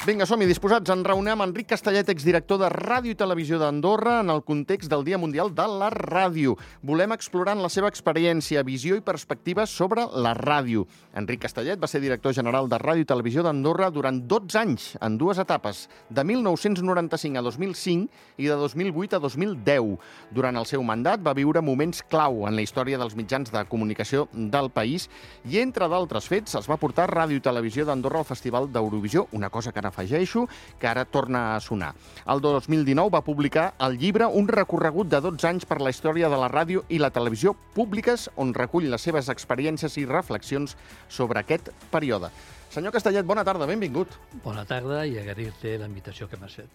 Vinga, som-hi disposats. Ens reunir amb Enric Castellet, exdirector de Ràdio i Televisió d'Andorra, en el context del Dia Mundial de la Ràdio. Volem explorar la seva experiència, visió i perspectiva sobre la ràdio. Enric Castellet va ser director general de Ràdio i Televisió d'Andorra durant 12 anys, en dues etapes, de 1995 a 2005 i de 2008 a 2010. Durant el seu mandat va viure moments clau en la història dels mitjans de comunicació del país i, entre d'altres fets, es va portar Ràdio i Televisió d'Andorra al Festival d'Eurovisió, una cosa que ara afegeixo, que ara torna a sonar. El 2019 va publicar el llibre Un recorregut de 12 anys per la història de la ràdio i la televisió públiques, on recull les seves experiències i reflexions sobre aquest període. Senyor Castellet, bona tarda, benvingut. Bona tarda i agrair-te la invitació que m'has fet.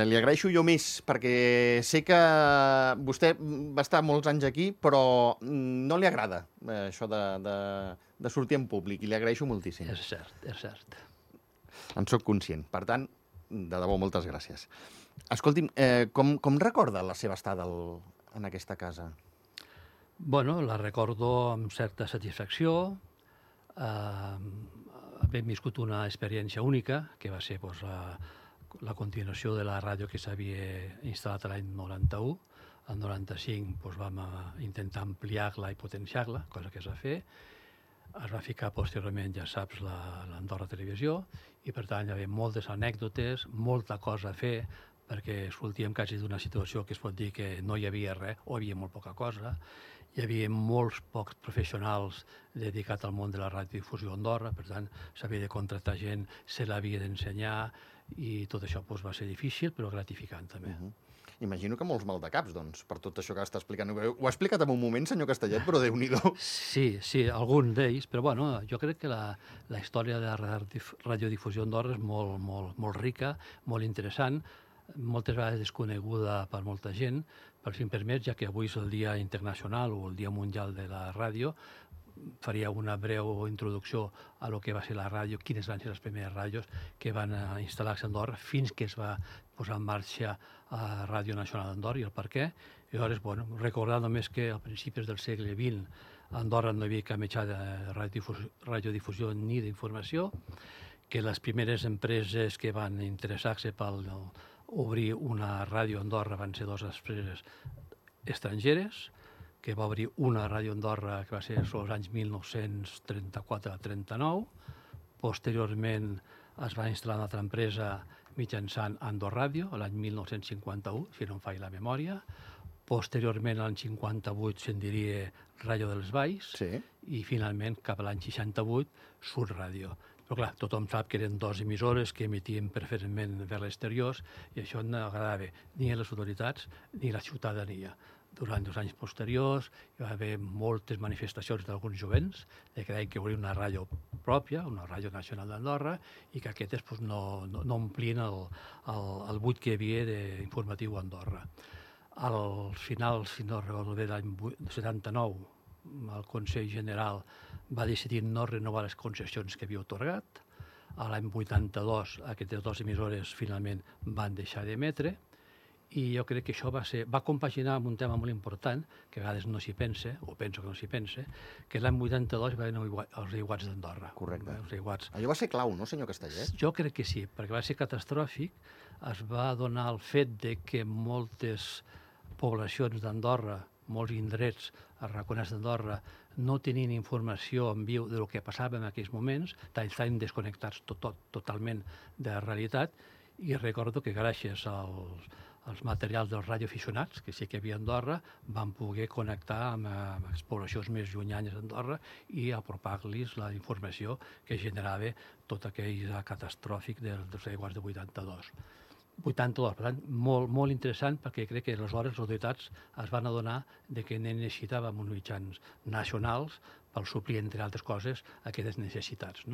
Li agraeixo jo més, perquè sé que vostè va estar molts anys aquí, però no li agrada això de sortir en públic, i li agraeixo moltíssim. És cert, és cert. En sóc conscient. Per tant, de debò, moltes gràcies. Escolti'm, com recorda la seva estada en aquesta casa? Bueno, la recordo amb certa satisfacció. Hem viscut una experiència única, que va ser la continuació de la ràdio que s'havia instal·lat l'any 91. El 95 vam intentar ampliar-la i potenciar-la, cosa que es va fer. Es va ficar posteriorment, ja saps, l'Andorra Televisió, i per tant hi havia moltes anècdotes, molta cosa a fer, perquè sortíem quasi d'una situació que es pot dir que no hi havia res, o hi havia molt poca cosa. Hi havia molts pocs professionals dedicats al món de la radiodifusió a Andorra, per tant s'havia de contractar gent, se l'havia d'ensenyar, i tot això va ser difícil, però gratificant també. Imagino que molts maldecaps, doncs, per tot això que està explicant. Ho ha explicat en un moment, senyor Castellet, però Déu-n'hi-do. Sí, algun d'ells, però bueno, jo crec que la història de la radiodifusió a Andorra és molt rica, molt interessant, moltes vegades desconeguda per molta gent, però si em permets, ja que avui és el Dia Internacional o el Dia Mundial de la Ràdio, faria una breu introducció a lo que va ser la ràdio, quines van ser les primeres ràdios que van instal·lar-se a Andorra fins que es va posar en marxa a Ràdio Nacional d'Andorra i el per què. I llavors, recordar només que a principis del segle XX a Andorra no hi havia cap mitjà de radiodifusió ni d'informació, que les primeres empreses que van interessar-se per obrir una ràdio a Andorra van ser dues empreses estrangeres, que va obrir una ràdio a Andorra que va ser als anys 1934-39. Posteriorment es va instal·lar una altra empresa mitjançant Andorràdio, l'any 1951, si no em falla la memòria. Posteriorment, l'any 58, se'n diria Ràdio dels Valls, i finalment, cap a l'any 68, Sud Ràdio. Però clar, tothom sap que eren dues emissores que emitien preferentment vers l'exterior i això no agradava ni a les autoritats ni a la ciutadania. Durant els anys posteriors hi va haver moltes manifestacions d'alguns jovents que creien que volia una ràdio pròpia, una ràdio nacional d'Andorra, i que aquestes no omplien el buit que hi havia d'informatiu a Andorra. Al final, si no recordo bé, l'any 79, el Consell General va decidir no renovar les concessions que havia atorgat. L'any 82, aquestes dues emissores finalment van deixar d'emetre, i jo crec que això va compaginar amb un tema molt important, que a vegades no s'hi pensa, o penso que no s'hi pensa, que l'any 82 va haver els aiguats d'Andorra. Correcte. Allò va ser clau, no, senyor Castellet? Jo crec que sí, perquè va ser catastròfic. Es va donar el fet de que moltes poblacions d'Andorra, molts indrets arraconats d'Andorra, no tenien informació en viu del que passava en aquells moments, estaven desconnectats totalment de la realitat, i recordo que gràcies als materials dels radioaficionats, que sí que hi havia a Andorra, van poder connectar amb les poblacions més llunyanes d'Andorra i apropar-los la informació que generava tot aquell catastròfic dels aiguats de 82. Per tant, molt interessant, perquè crec que aleshores les autoritats es van adonar que necessitàvem uns mitjans nacionals per suplir, entre altres coses, aquestes necessitats.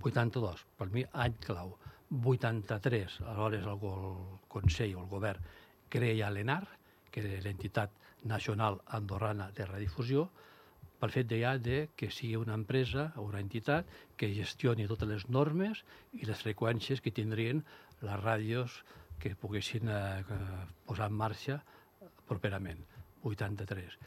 82, per mi, any clau. 83, aleshores el Consell o el Govern creia l'ENAR, que era l'entitat nacional andorrana de radiodifusió, pel fet que sigui una empresa o una entitat que gestioni totes les normes i les freqüències que tindrien les ràdios que poguessin posar en marxa properament, 83.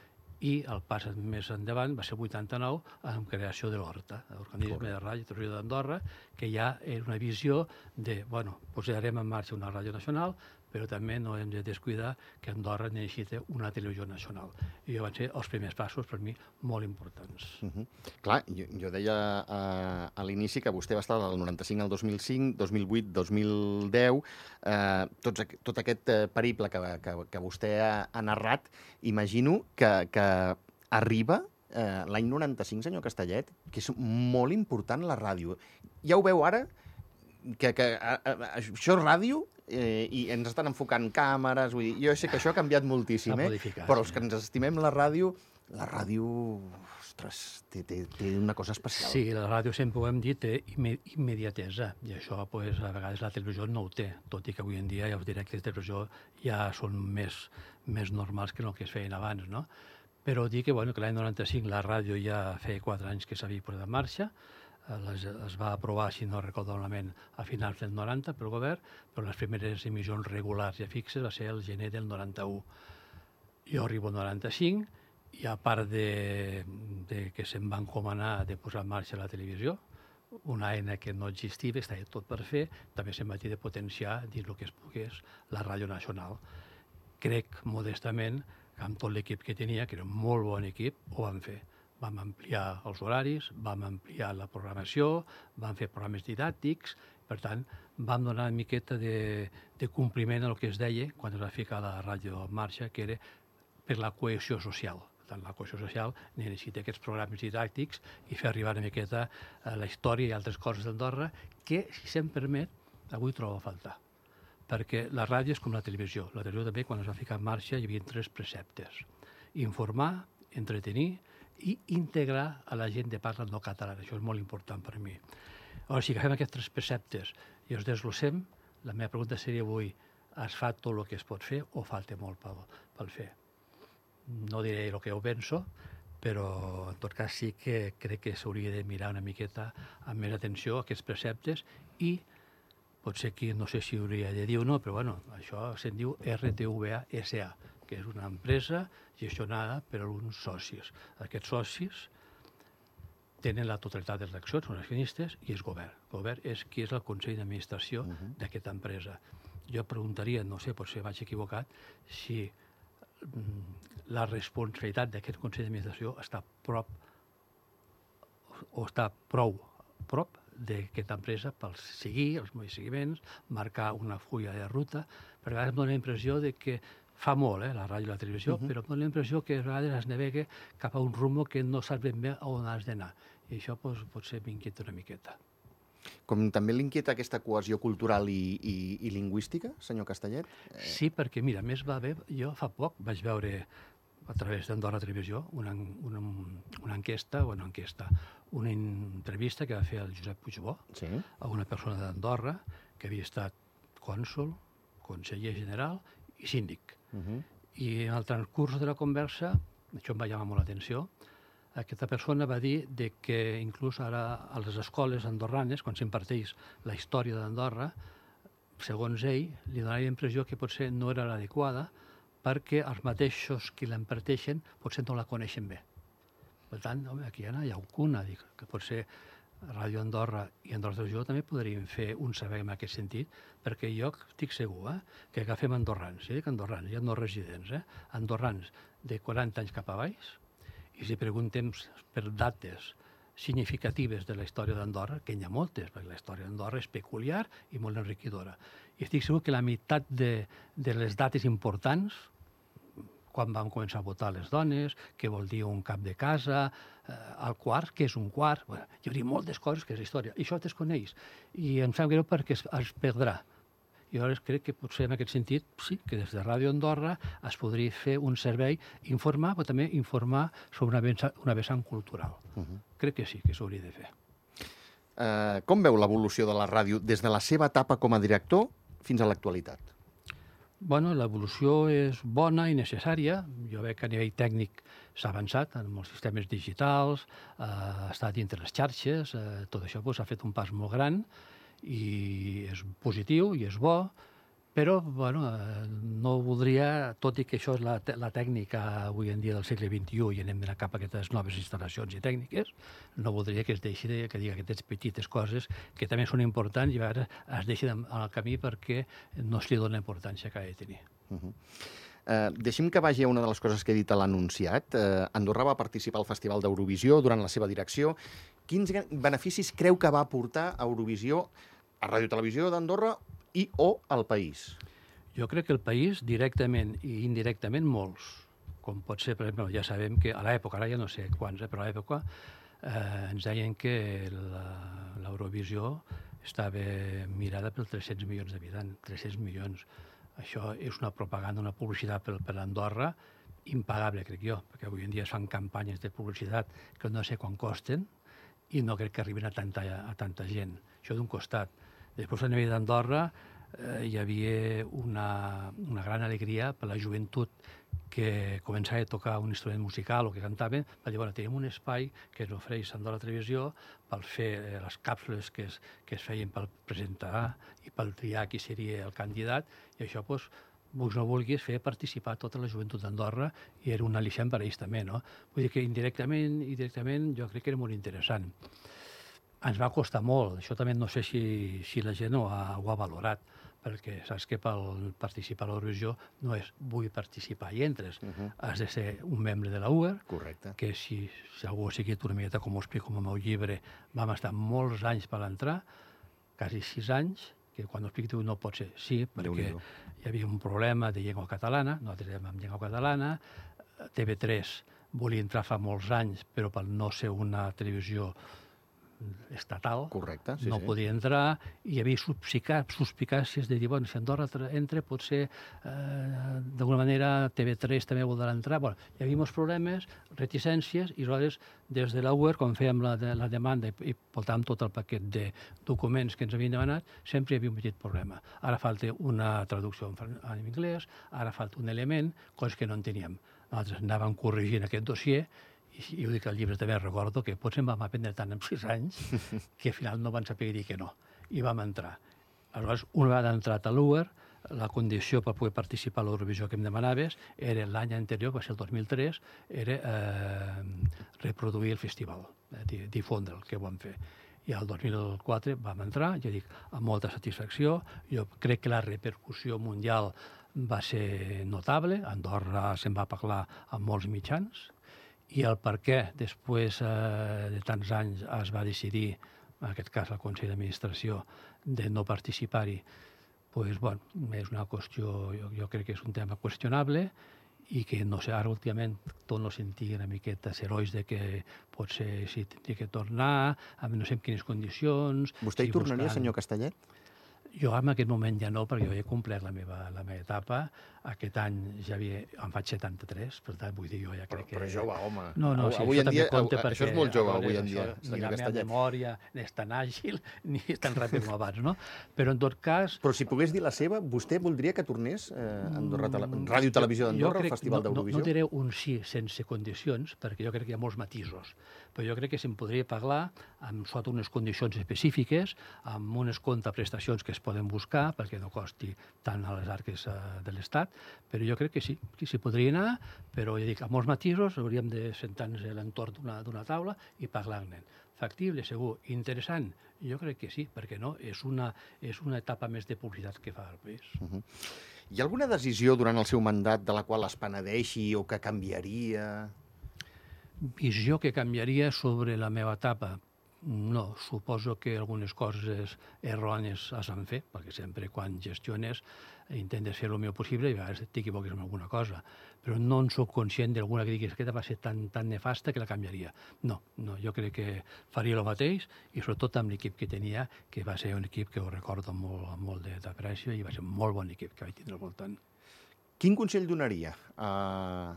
i el pas més endavant va ser el 89 amb creació de l'ORTA, l'Organisme de Ràdio i Televisió d'Andorra, que ja era una visió de, bueno, posarem en marxa una ràdio nacional, però també no hem de descuidar que Andorra necessita una televisió nacional. I van ser els primers passos, per mi, molt importants. Clar, jo deia a l'inici que vostè va estar del 95 al 2005, 2008, 2010, tot aquest periple que vostè ha narrat, imagino que arriba l'any 95, senyor Castellet, que és molt important la ràdio. Ja ho veu ara? Que això és ràdio i ens estan enfocant càmeres, vull dir, jo sé que això ha canviat moltíssim, però els que ens estimem la ràdio, ostres, té una cosa especial. Sí, la ràdio sempre ho hem dit, té immediatesa, i això a vegades la televisió no ho té, tot i que avui en dia ja us diré que la televisió ja són més normals que el que es feien abans, no? Però dir que l'any 95 la ràdio ja feia 4 anys que s'havia posat en marxa, es va aprovar, si no recordo malament, a finals del 90 pel govern, però les primeres emissions regulars i fixes va ser el gener del 91. Jo arribo al 95 i a part de que se'm va encomanar de posar en marxa la televisió, una eina que no existia, estava tot per fer, també se'm va dir de potenciar, dins el que es pogués, la ràdio nacional. Crec, modestament, que amb tot l'equip que tenia, que era un molt bon equip, ho vam fer. Vam ampliar els horaris, vam ampliar la programació, vam fer programes didàctics, per tant, vam donar una miqueta de compliment al que es deia quan es va ficar la ràdio en marxa, que era per la cohesió social. Per tant, la cohesió social necessita aquests programes didàctics i fer arribar una miqueta la història i altres coses d'Andorra que, si se'm permet, avui trobo a faltar. Perquè la ràdio és com la televisió. La televisió també, quan es va ficar en marxa, hi havia 3 preceptes. Informar, entretenir i integrar a la gent de parla no catalana. Això és molt important per mi. Ara, si agafem aquests 3 preceptes i els desglossem, la meva pregunta seria avui, es fa tot el que es pot fer o falta molt pel fer? No diré el que jo penso, però en tot cas sí que crec que s'hauria de mirar una miqueta amb més atenció a aquests preceptes i potser aquí no sé si hauria de dir o no, però això se'n diu RTVA SA, que és una empresa gestionada per alguns socis. Aquests socis tenen la totalitat de les accions, són accionistes, i és govern. El govern és qui és el Consell d'Administració d'aquesta empresa. Jo preguntaria, no sé, potser vaig equivocat, si la responsabilitat d'aquest Consell d'Administració està prou prop d'aquesta empresa per seguir els meus seguiments, marcar una fulla de ruta. Per vegades em dóna la impressió que fa molt, la ràdio i la televisió, però em dóna la impressió que a vegades es navega cap a un rumbo que no saps ben bé on has d'anar. I això potser m'inquieta una miqueta. Com també l'inquieta aquesta cohesió cultural i lingüística, senyor Castellet? Sí, perquè, mira, més va bé, jo fa poc vaig veure a través d'Andorra Televisió una enquesta, una entrevista que va fer el Josep Puigbó a una persona d'Andorra que havia estat cònsol, conseller general i síndic. I en el transcurs de la conversa, això em va llamar molt l'atenció, aquesta persona va dir que inclús ara a les escoles andorranes, quan s'imparteix la història d'Andorra, segons ell, li donava la impressió que potser no era l'adequada perquè els mateixos qui l'imparteixen potser no la coneixen bé. Per tant, aquí hi ha alguna, que potser Ràdio Andorra i Andorra Televisió també podrien fer un servei en aquest sentit, perquè jo estic segur que agafem andorrans, dic andorrans, ja no residents, andorrans de 40 anys cap a baix, i si preguntem per dates significatives de la història d'Andorra, que n'hi ha moltes, perquè la història d'Andorra és peculiar i molt enriquidora. I estic segur que la meitat de les dates importants, quan vam començar a votar les dones, què vol dir un cap de casa, el quart, què és un quart, hi hauria moltes coses que és història, i això es desconeix, i em sap greu perquè es perdrà. Jo crec que potser en aquest sentit, sí, que des de Ràdio Andorra es podria fer un servei, informar, però també informar sobre una vessant cultural. Crec que sí, que s'hauria de fer. Com veu l'evolució de la ràdio des de la seva etapa com a director fins a l'actualitat? Bueno, l'evolució és bona i necessària. Jo veig que a nivell tècnic s'ha avançat en els sistemes digitals, ha estat dintre les xarxes, tot això ha fet un pas molt gran i és positiu i és bo, Però, bueno, no voldria, tot i que això és la tècnica avui en dia del segle XXI i anem d'anar cap a aquestes noves instal·lacions i tècniques, no voldria que es deixi que digui aquestes petites coses que també són importants i a vegades es deixen al camí perquè no es li dona importància que ha de tenir. Deixi'm que vagi a una de les coses que he dit a l'anunciat. Andorra va participar al Festival d'Eurovisió durant la seva direcció. Quins beneficis creu que va aportar Eurovisió a Ràdio Televisió d'Andorra i o al país? Jo crec que el país, directament i indirectament, molts. Com pot ser, per exemple, ja sabem que a l'època, ara ja no sé quants, però a l'època ens deien que l'Eurovisió estava mirada per 300 milions d'habitants, 300 milions. Això és una propaganda, una publicitat per Andorra impagable, crec jo, perquè avui en dia es fan campanyes de publicitat que no sé quan costen i no crec que arribin a tanta gent. Això d'un costat. Després, a nivell d'Andorra, hi havia una gran alegria per la joventut que començava a tocar un instrument musical o que cantaven, per dir, bueno, tenim un espai que ens ofereix Andorra Televisió per fer les càpsules que es feien per presentar i per triar qui seria el candidat, i això, doncs, vulguis o no vulguis, feia participar tota la joventut d'Andorra i era un al·licient per a ells també, no? Vull dir que indirectament i directament jo crec que era molt interessant. Ens va costar molt, això també no sé si la gent ho ha valorat, perquè saps que per participar a l'Eurovisió no és vull participar i entres, has de ser un membre de la UER, que si algú ha seguit una miqueta com ho explico en el meu llibre, vam estar molts anys per entrar, quasi 6 anys, que quan ho explico no pot ser sí, perquè hi havia un problema de llengua catalana, nosaltres érem amb llengua catalana, TV3 volia entrar fa molts anys, però per no ser una televisió estatal, no podia entrar, i hi havia suspicàcies de dir, bueno, si Andorra entra, potser d'alguna manera TV3 també voldrà entrar. Bueno, hi havia molts problemes, reticències, i aleshores, des de la UER, quan fèiem la demanda i portàvem tot el paquet de documents que ens havien demanat, sempre hi havia un petit problema. Ara falta una traducció en anglès, ara falta un element, coses que no en teníem. Nosaltres anàvem corregint aquest dossier, i ho dic al llibre també, recordo que potser em vam aprendre tant en 6 anys que al final no van saber dir que no, i vam entrar. Aleshores, una vegada entrat a l'UER, la condició per poder participar a l'Eurovisió que em demanaves era l'any anterior, va ser el 2003, era reproduir el festival, difondre'l, que ho vam fer. I el 2004 vam entrar, ja dic, amb molta satisfacció. Jo crec que la repercussió mundial va ser notable, a Andorra se'n va parlar amb molts mitjans, i el per què després de tants anys es va decidir, en aquest cas el Consell d'Administració, de no participar-hi, doncs, bueno, és una qüestió, jo crec que és un tema qüestionable i que, no sé, ara últimament torno a sentir una miqueta herois de que potser si tindria que tornar, no sé en quines condicions... Vostè hi tornaria, senyor Castellet? Jo en aquest moment ja no, perquè jo he complert la meva etapa. Aquest any ja em faig 73, per tant, vull dir, jo ja crec que... Però jove, home. No, sí, avui això també compta perquè... Això és molt jove, avui en dia, ni la meva memòria és tan àgil ni és tan ràpid com abans, no? Però en tot cas... Però si pogués dir la seva, vostè voldria que tornés Ràdio Televisió d'Andorra, al Festival d'Eurovisió? No diré un sí sense condicions, perquè jo crec que hi ha molts matisos. Però jo crec que se'n podria parlar sota unes condicions específiques, amb unes contraprestacions que es poden buscar, perquè no costi tant a les arques de l'Estat, però jo crec que sí, que s'hi podria anar, però ja dic, amb molts matisos hauríem de sentar-nos a l'entorn d'una taula i parlar-ne. Factible, segur. Interessant? Jo crec que sí, perquè no? És una etapa més de publicitat que fa el país. Hi ha alguna decisió durant el seu mandat de la qual es penedeixi o que canviaria? Visió que canviaria sobre la meva etapa? No, suposo que algunes coses errònies has de fer, perquè sempre quan gestiones intentes fer el millor possible i a vegades t'equivoques en alguna cosa, però no en soc conscient d'alguna que diguis que va ser tan nefasta que la canviaria. No, jo crec que faria el mateix, i sobretot amb l'equip que tenia, que va ser un equip que ho recordo amb molt d'aprecio i va ser un molt bon equip que vaig tindre al voltant. Quin consell donaria a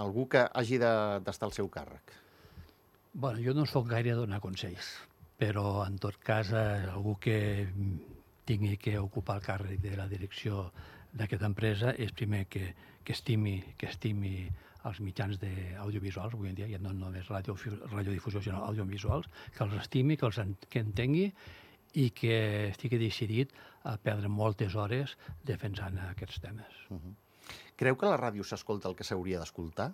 algú que hagi d'estar al seu càrrec? Bueno, jo no soc gaire a donar consells, però en tot cas algú que tingui que ocupar el càrrec de la direcció d'aquesta empresa és primer que estimi els mitjans audiovisuals, avui en dia ja no només radiodifusió, sinó audiovisuals, que els estimi, que entengui i que estigui decidit a perdre moltes hores defensant aquests temes. Creu que la ràdio s'escolta el que s'hauria d'escoltar?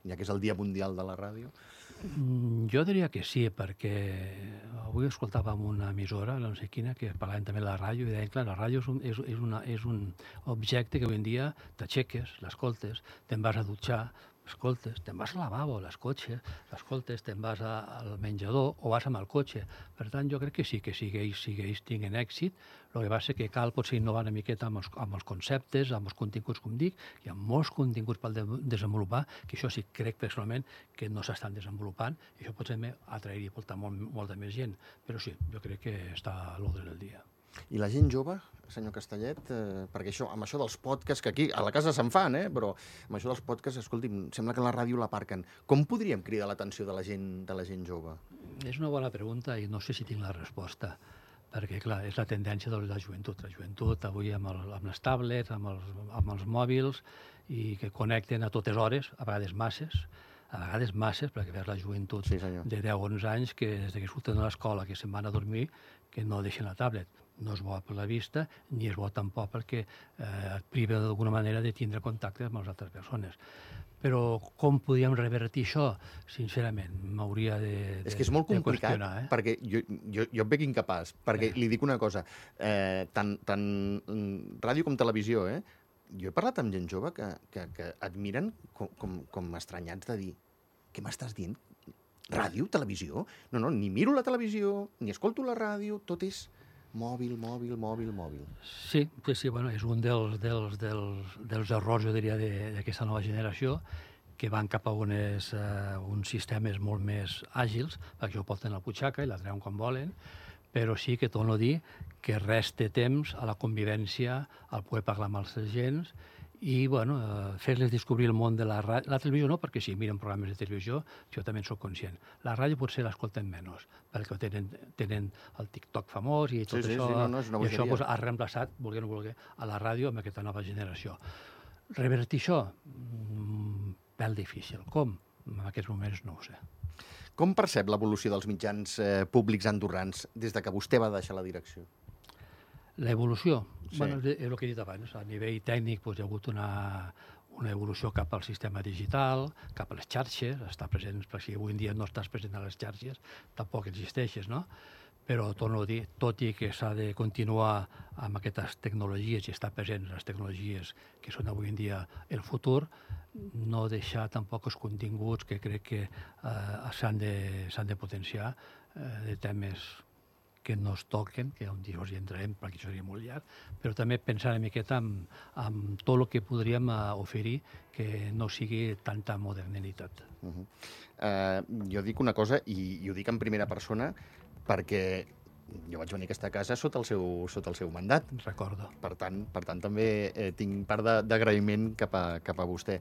Ja que és el Dia Mundial de la Ràdio? Jo diria que sí, perquè avui escoltàvem una emissora, no sé quina, que parlaven també de la ràdio, i deien, clar, la ràdio és un objecte que avui en dia t'aixeques, l'escoltes, te'n vas a dutxar, escoltes, te'n vas al lavabo, l'escoltes, te'n vas al menjador o vas amb el cotxe. Per tant, jo crec que sí, que si ells tinguen èxit, el que passa és que cal potser innovar una miqueta amb els conceptes, amb els continguts, com dic, hi ha molts continguts per desenvolupar, que això sí crec personalment que no s'estan desenvolupant, i això potser atrairia i portar molta més gent. Però sí, jo crec que està a l'ordre del dia. I la gent jove, senyor Castellet, perquè amb això dels podcasts, que aquí a la casa se'n fan, però amb això dels podcasts, escolti'm, sembla que la ràdio l'aparquen. Com podríem cridar l'atenció de la gent jove? És una bona pregunta i no sé si tinc la resposta, perquè, clar, és la tendència de la joventut. La joventut avui amb les tablets, amb els mòbils, i que connecten a totes hores, a vegades masses, perquè veus la joventut Sí, de 10-11 anys que des que surten de l'escola, que se'n van a dormir, que no deixen la tablet. No és bo per la vista, ni és bo tampoc perquè et priva d'alguna manera de tindre contacte amb les altres persones. Però com podíem revertir això? Sincerament, m'hauria de qüestionar. És que és molt complicat, perquè jo em veig incapaç, perquè li dic una cosa, tant ràdio com televisió, jo he parlat amb gent jove que et miren com estranyats de dir què m'estàs dient? Ràdio? Televisió? No, ni miro la televisió, ni escolto la ràdio, tot és mòbil. Sí, bueno, és un dels errors, jo diria, d'aquesta nova generació, que van cap a uns sistemes molt més àgils, perquè ho porten a la butxaca i la treuen quan volen, però sí que torno a dir que resta temps a la convivència, al poder parlar amb els agents, i fer-les descobrir el món de la ràdio. La televisió no, perquè si miren programes de televisió, jo també en soc conscient. La ràdio potser l'escolten menys, perquè tenen el TikTok famós i tot això, i això ha reemplaçat, vulgui o no vulgui, a la ràdio amb aquesta nova generació. Revertir això? Pèl difícil. Com? En aquests moments no ho sé. Com percep l'evolució dels mitjans públics andorrans des que vostè va deixar la direcció? L'evolució? Sí. És el que he dit abans. A nivell tècnic hi ha hagut una evolució cap al sistema digital, cap a les xarxes, estar presents, perquè si avui en dia no estàs present a les xarxes, tampoc existeixes, no? Però, torno a dir, tot i que s'ha de continuar amb aquestes tecnologies i estar presents en les tecnologies que són avui en dia el futur, no deixar tampoc els continguts que crec que s'han de potenciar de temes que no es toquen, que un dia hi entrarem perquè això seria molt llarg, però també pensar una miqueta en tot el que podríem oferir que no sigui tanta modernitat. Jo dic una cosa, i ho dic en primera persona, perquè jo vaig venir a aquesta casa sota el seu mandat. Recordo. Per tant també tinc part d'agraïment cap a vostè.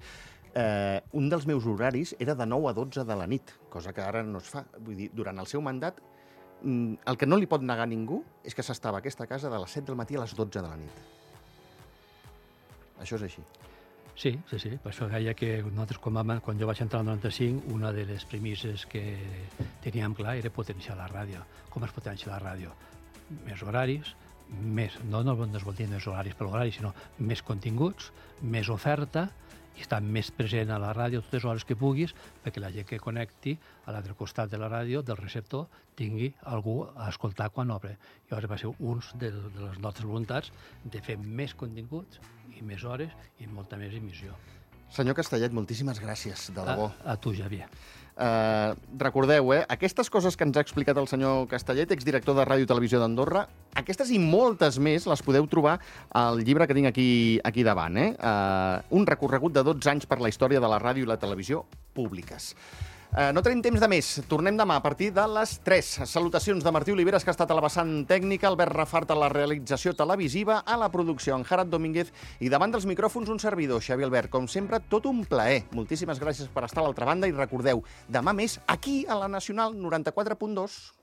Un dels meus horaris era de 9 a 12 de la nit, cosa que ara no es fa. Vull dir, durant el seu mandat, el que no li pot negar a ningú és que s'estava a aquesta casa de les 7 del matí a les 12 de la nit. Això és així. Sí. Per això deia que nosaltres, quan jo vaig entrar al 95, una de les premisses que teníem clar era potenciar la ràdio. Com es potencia la ràdio? Més horaris, no es vol dir més horaris per l'horari, sinó més continguts, més oferta, i estar més present a la ràdio totes les hores que puguis, perquè la gent que connecti a l'altre costat de la ràdio, del receptor, tingui algú a escoltar quan obre. I llavors va ser una de les nostres voluntats de fer més continguts i més hores i molta més emissió. Senyor Castellet, moltíssimes gràcies, de debò. A tu, Javier. Recordeu, aquestes coses que ens ha explicat el senyor Castellet, exdirector de Ràdio i Televisió d'Andorra, aquestes i moltes més les podeu trobar al llibre que tinc aquí davant. Un recorregut de 12 anys per la història de la ràdio i la televisió públiques. No tenim temps de més. Tornem demà a partir de les 3. Salutacions de Martí Oliveres, que ha estat a la vessant tècnica, Albert Rafart a la realització televisiva, a la producció en Jarat Domínguez i davant dels micròfons un servidor, Xavi Albert. Com sempre, tot un plaer. Moltíssimes gràcies per estar a l'altra banda i recordeu, demà més aquí a la Nacional 94.2.